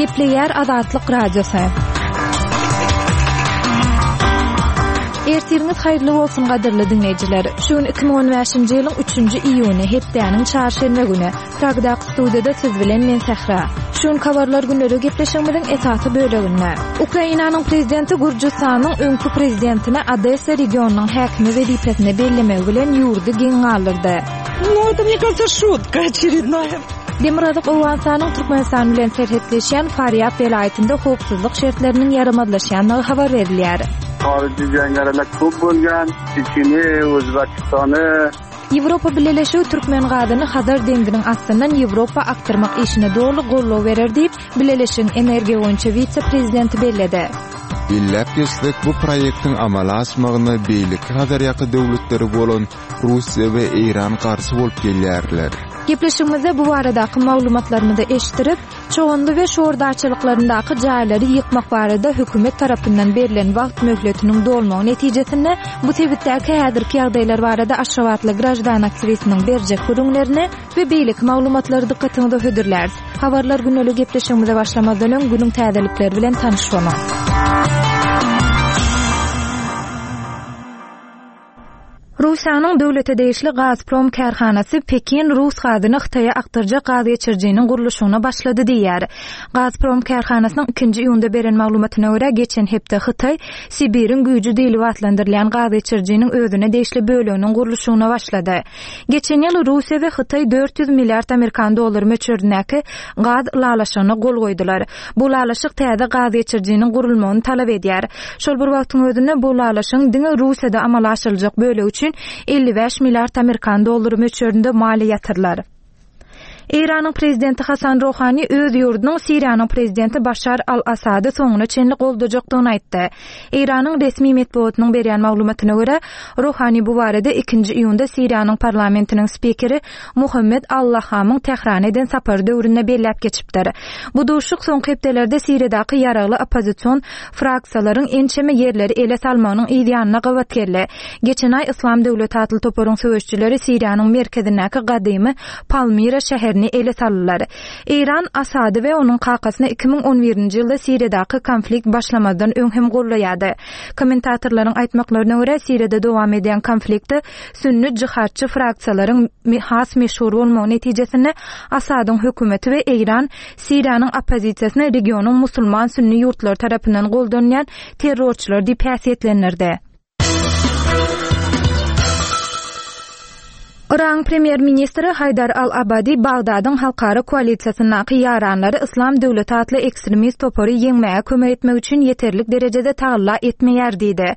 Gepleýär Azatlyk Radiosy. Ertiriňiz haýyrly bolsun gadyrly diňleýjiler. Şu gün 2015-nji ýylyň 3-nji iýuny, hepdäniň çarşenbe güni. Pragdaky studiýada siz bilen men Sähra. Şu gün Habarlar günleri gepleşigimiziň esasy böleginde. Ukrainanyň prezidenti Gürjüstanyň öňki prezidentini Odessa regionynyň häkimi wezipesine bellemegi bilen ýurdy geň galdyrdy. Nu, это, мне кажется, шутка очередная. Demirgazyk Owganystanyň Türkmenistan bilen serhetleşýän Farýab welaýatynda howpsuzlyk şertleriniň ýaramazlaşýandygy habar berilýär. Xorijiy jangarilar ko'p bo'lgan, Chechnya, O'zbekistoni Ýewropa Bileleşigi türkmen gazyny Hazar deňziniň astyndan Ýewropa akdyrmak işine doly goldaw berer diýip, Bileleşigiň energiýa boýunça wise-prezidenti belledi. Belläp geçsek, bu proýektiň amala aşmagyna beýleki Hazarýaka döwletleri bolan Russiýa we Eýran garşy bolup gelýärler. Gepleşigimizde bu baradaky maglumatlarymyzy eşitdirip, Çoganly we Şor daçalyklaryndaky jaýlary ýykmak barada hökümet tarapyndan berlen wagt möhletiniň dolmagy netijesinde bu sebitdäki häzirki ýagdaýlar barada aşgabatly graždan aktiwistiniň berjek gürrüňlerini we beýleki maglumatlary dykgatyňyza hödürläris. Habarlar gündelik gepleşigimize başlamazdan öň günüň täzelikleri bilen tanyş boluň. Russiýanyň döwlete degişli Gazprom kärhanasy Pekin rus gazyny Hytaýa akdyrjak gazgeçirijiniň gurluşygyna başlady diýýär. Gazprom kärhanasynyň ikinji iýunda beren maglumatyna görä, geçen hepde Hytaý Sibiriň güýji diýlip atlandyrylýan gazgeçirijiniň özüne degişli böleginiň gurluşygyna başlady. Geçen ýyl Russiýa we Hytaý 400 milliard amerikan dollary möçberindäki gaz ylalaşygyna gol goýdular. Bu ylalaşyk täze gazgeçirijiniň gurulmagyny talap edýär. Şol bir wagtyň özünde bu ylalaşygyň diňe Russiýada amala aşyryljak bölegi üçin 55 milliard amerikan dollary möçberinde maliýe ýatyrylar. Eýranyň prezidenti Hasan Rohani öz ýurdunyň Siriýanyň prezidenti Başar al-Assady soňuna çenli goldajakdygyny aýtdy. Eýranyň resmi metbugatynyň berýän maglumatyna görä, Rohani bu barada ikinji iýunda Siriýanyň parlamentiniň spikeri Muhammed al-Lahamyň Tährana eden sapary döwründe belläp geçipdir. Bu duşuşyk soňky hepdelerde Siriýadaky ýaragly oppozision fraksiýalaryň ençeme ýerleri ele salmagynyň yz ýanyna gabat geldi. Geçen aý Yslam döwleti atly toparyň söweşijileri Siriýanyň merkezindäki gadymy Palmira şäherini ele saldylar. Eýran Asady we onuň kakasyny 2011-nji ýylda Siriýadaky konflikt başlamazdan öň hem goldaýardy. Kommentatorlaryň aýtmaklaryna görä, Siriýada dowam edýän konfliktde sünni jihadçy fraksiýalaryň has meşhur bolmagy netijesinde Asadyň hökümeti we Eýran Siriýanyň oppozisiýasyny regionyň musulman sünni ýurtlary tarapyndan goldanylýan terrorçylar diýip häsiýetlendirdi. Yragyň premýer-ministri Haýdar al-Abadi Bagdadyň halkara koalisiýasyndaky ýaranlary Yslam döwleti atly ekstremist topary ýeňmäge kömek etmek üçin ýeterlik derejede tagalla etmeýär diýdi.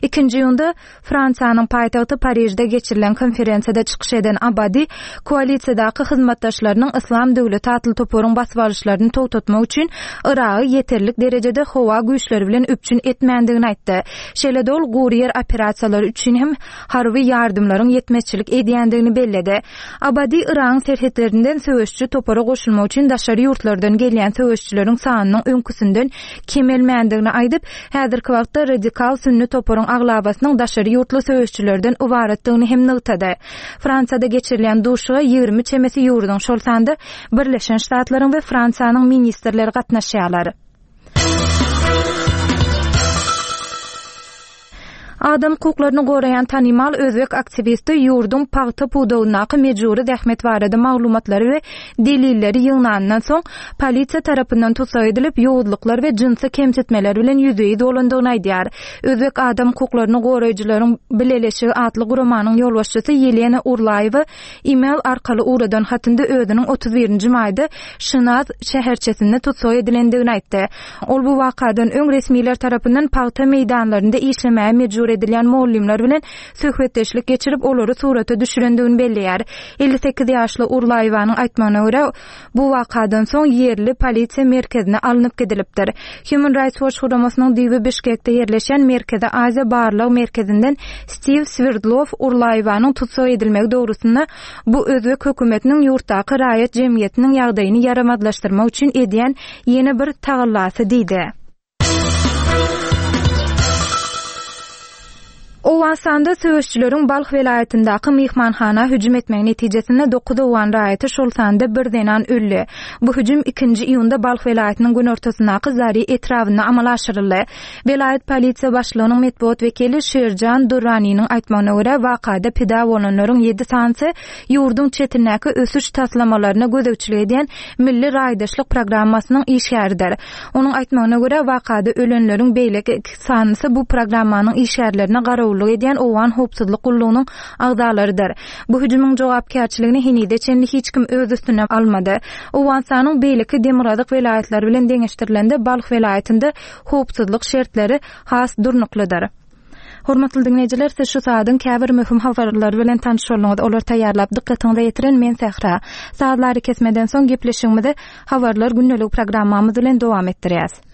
Ikinji iýunda Fransiýanyň paýtagty Parižde geçirilen konferensiýada çykyş eden Abadi koalisiýadaky hyzmatdaşlarynyň Yslam döwleti atly toparyň basybalyşlaryny togtatmak üçin Yragy ýeterlik derejede howa güýçleri bilen üpjün etmändigini aýtdy. Şeýle-de ol gury ýer operasiýalary üçin hem harby ýardymlaryň ýetmezçilik edýändigini belledi. Abadi Yragyň serhetlerinden söweşiji topara goşulmak üçin daşary ýurtlardan gelýän söweşijileriň sanynyň öňküsinden kemelmändigini aýdyp, häzirki wagtda radikal sünni toparyň aglabasynyň daşary ýurtly söweşijilerden ybaratdygyny hem nygtady. Fransiýada geçirilýän duşuşyga 20 çemesi ýurduň, şol sanda Birleşen Ştatlaryň we Fransiýanyň ministrleri gatnaşýarlar. Adam hukuklaryny goraýan tanymal özbek aktiwisti ýurduň pagta pudagyndaky mejbury zähmet barada maglumatlary we delilleri ýygnanyndan soň, polisiýa tarapyndan tussag edilip, ýowuzlyklar we jynsy kemsitmeler bilen ýüzbe-ýüz bolandygyny aýdýar. Özbek adam hukuklaryny goraýjylaryň bileleşigi atly guramanyň ýolbaşçysy Ýelena Urlaýewa e-mail arkaly ugradan hatynda özüniň 31-nji maýda Şinaz şäherçesinde tussag edilendigini aýtdy. Ol bu wakadan öň resmiler tarapyndan pagta meýdanlarynda işlemäge mejbur edilýän mugallymlar bilen söhbetdeşlik geçirip, olary surata düşürendigini belleýär. 58 ýaşly Urlaýewanyň aýtmagyna görä, bu wakadan soň ýerli polisiýa merkezine alnyp gidilipdir. Human Rights Watch guramasynyň düýbi Bişkekde ýerleşýän Merkezi Aziýa barlag merkezinden Stiw Swerdlow Urlaýewanyň tussag edilmegi dogrusynda bu özbek hökümetiniň ýurtdaky raýat jemgyýetiniň ýagdaýyny ýaramazlaşdyrmak üçin edýän ýene bir tagallasy diýdi. Owganystanda söweşijileriň Balh welaýatyndaky myhmanhana hüjüm etmegi netijesinde dokuz owgan raýaty, şol sanda bir zenan öldi. Bu hüjüm ikinji iýunda Balh welaýatynyň günortasyndaky Zari etrabynda amala aşyryldy. Welaýat polisiýa başlygynyň metbugat wekili Şirjan Durraniniň aýtmagyna görä, wakada pida bolanlaryň ýedi sanysy ýurduň çetindäki ösüş taslamalaryna gözegçilik edýän Milli raýdaşlyk programmasynyň işgäridir. Onuň aýtmagyna görä, wakada ölenleriň beýleki iki sanysy bu programmanyň işgärlerine garawullyk edýän owgan howpsuzlyk gullugynyň agzalarydyr. Bu hüjümiň jogapkärçiligini henize çenli hiç kim öz üstüne almady. Owganystanyň beýleki demirgazyk welaýatlary bilen deňeşdirilende Balh welaýatynda howpsuzlyk şertleri has durnuklydyr. Hormatly diňleýjiler, siz şu saadyň käbir möhüm habarlary bilen tanyş bolduňyz. Olary taýýarlap, dykgatyňyza ýetiren men Sähra. Sazly arakesmeden soň gepleşigimizi Habarlar gündeligi programmamyz bilen dowam etdirýäs.